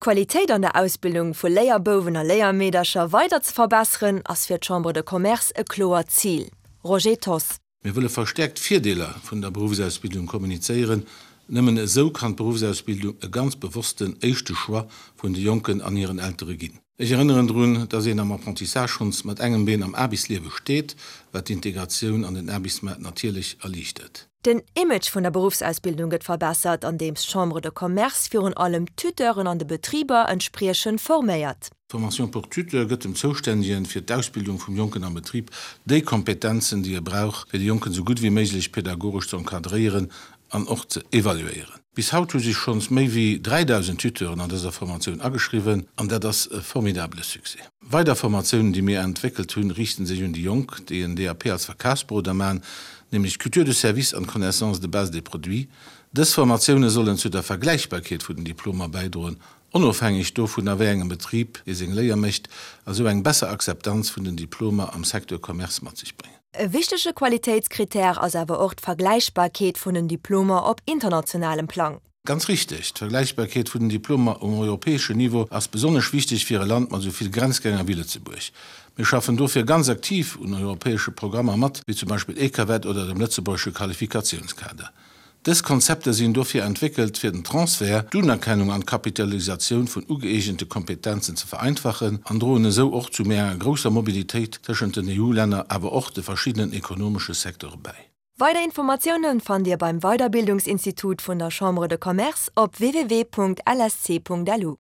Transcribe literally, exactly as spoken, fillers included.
D'Qualitéit an der Ausbildung vu Léierbouwen a Léiermeedercher weider ze verbesseren, ass fir d'Chambre de Commerce e kloert Zil. Roger Thoss. Mir wëlle verstäerkt d'Virdeeler vun der Beruffsausbildung kommunizéieren. Nëmmen esou kann d'Beruffsausbildung e ganz bewossten éischte Choix vun de Jonken an hiren Eltere ginn. Ech erënneren drun, dass een am Apprentissage schonns mat engem Been am Aarbechtsliewe steet, wat d'Integratioun an den Aarbechtsmaart natierlech erliichtert. Den Image vun der Beruffsausbildung gëtt verbessert, andeems d'Chambre de Commerce virun allem d'Tuteuren an de Betriber entspriechend forméiert. D'Formation pour tuteurs gëtt dem Zoustännegen fir d'Ausbildung vum Jonken am Betrib déi Kompetenzen, déi e brauch, fir de Jonken esou gutt wéi méiglech pedagogesch ze encadréieren an och ze evaluéieren. Bis haut hu sech schonns méi wéi dräidausend Tuteuren an dëser Formatioun ageschriwwen, an dat ass e formidabele Succès. Weider Formatiounen, déi mir entwéckelt hunn, riichten sech un déi Jonk, déi en D A P als Verkafsberoder maachen, nämlech d'Culture de service an d'Connaissance de base des produits. Dës Formatioune sollen zu der Vergläichbarkeet vun den Diplomer bäidroen, onofhängeg dovun, a wéi engem Betrib ee seng Léier mécht, a sou eng besser Akzeptanz vun den Diplomer am Secteur Commerce mat sech bréngen. E wichtege Qualitéitskrittär ass awer och d'Vergläichbarkeet vun den Diplomer op internationalem Plang. Ganz richteg, d'Vergläichbarkeet vun den Diplomer um europäeschen Niveau ass besonnesch wichteg fir e Land mat esou vill Grenzgänger wéi Lëtzebuerg. Mir schaffen dofir ganz aktiv un europäesche Programmer mat, wéi zum Beispill EQAVET oder dem lëtzebuergesche Qualifikatiounskader. Dës Konzepter sinn dofir entwéckelt, fir den Transfert, d'Unerkennung an d'Kapitalisatioun vun ugëeegente Kompetenzen ze vereinfachen an droen esou och zu méi enger grousser Mobilitéit tëschent den E U-Länner, awer och de verschiddenen ekonomesche Secteure bäi. Weider Informatiounen fannt Dir beim Weiderbildungsinstitut vun der Chambre de Commerce op w w w punkt l s c punkt l u.